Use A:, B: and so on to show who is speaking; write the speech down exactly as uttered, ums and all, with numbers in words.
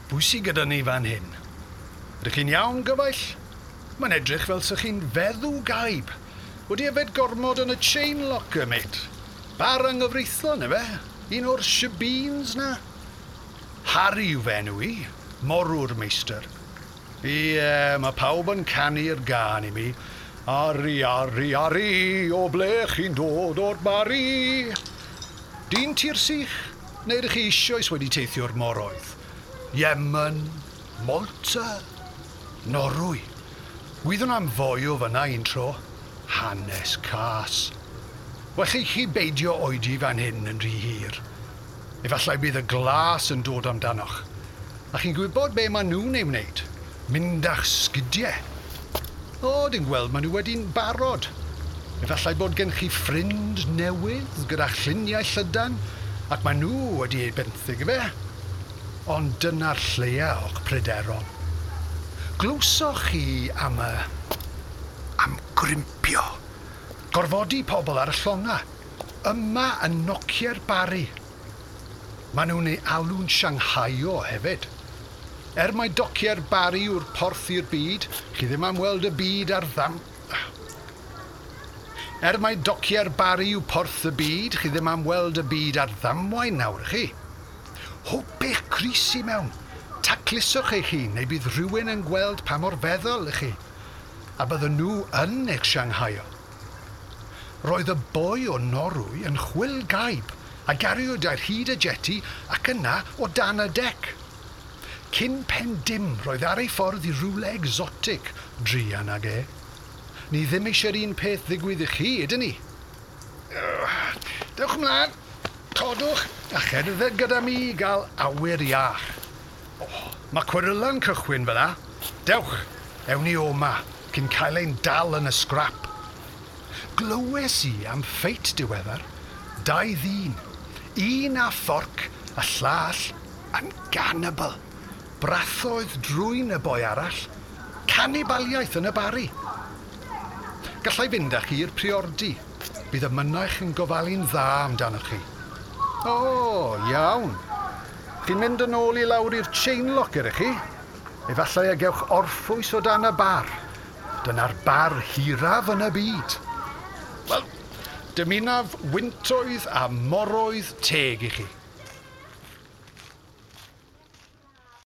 A: Pwy sy gyda ni fan hyn? Ydych chi'n iawn, gyfaill? Mae'n edrych fel sych chi'n feddw gaib. Wedi yfed gormod yn y chain locker, mate. Bar anghyfreithlon, efe? Un o'r shebeens na? Harry yw fy enw i, morwr meistr. Ie, mae pawb yn canu'r gân i mi. Ari, ari, ari, o ble chi'n dod o'r Bari? Dyn tir sych, neu ydych chi eisoes wedi teithio'r moroedd? Yemen, Malta, Norwy. Wyddwn am foi o fyna un tro. Hanes cas. Well i chi beidio oedi fan hyn yn rhy hir. Efallai bydd y glas yn dod amdanoch. A chi'n gwybod be maen nhw'n ei wneud? Mynd â'ch sgidiau. O, dwi'n gweld maen nhw wedi'n barod. Efallai bod gen chi ffrind newydd gyda lluniau llydan, ac maen nhw wedi ei benthyg fe. Ond dyna'r lleia o'ch pryderon. Glywsoch chi am y... am grimpio. Gorfodi pobl ar y llonga. Yma yn nociau'r Bari. Maen nhw'n ei alw'n Shanghaio hefyd. Er mai dociau'r Bari yw'r porth i'r byd, chi ddim am weld y byd ar ddam... Er mai dociau'r Bari yw porth y byd, chi ddim am weld y byd ar ddamwain nawr, chi. Hwp eich crys i mewn. Tacluswch eich hun, neu bydd rhywun yn gweld pa mor feddwl ych chi. A bydden nhw yn eich Shanghaio. Roedd y boi o Norwy yn chwil gaib a gariwyd ar hyd y jetty ac yna o dan y dec. Cyn pen dim roedd ar ei ffordd i rywle exotic, druan ag e. Ni ddim eisiau'r un peth ddigwydd i chi, ydyn ni? Dewch ymlaen, codwch a cherdded gyda mi i gael awyr iach. Oh, mae cweryla'n cychwyn fel 'a. Dewch, ewn ni o 'ma, cyn cael ein dal yn y scrap. Glywes i am ffeit diweddar, dau ddyn, un â fforc a llall yn gannibal. Brathoedd drwyn y boi arall, canibaliaeth yn y Bari. Gallai fynd â chi i'r priordy. Bydd y mynaich yn gofalu'n dda amdanoch chi. O, iawn. Chi'n mynd yn ôl i lawr i'r chain locker ych chi? Efallai y gewch orffwys o dan y bar. Dyna'r bar hiraf yn y byd. Wel, dymunaf wyntoedd a moroedd teg i chi.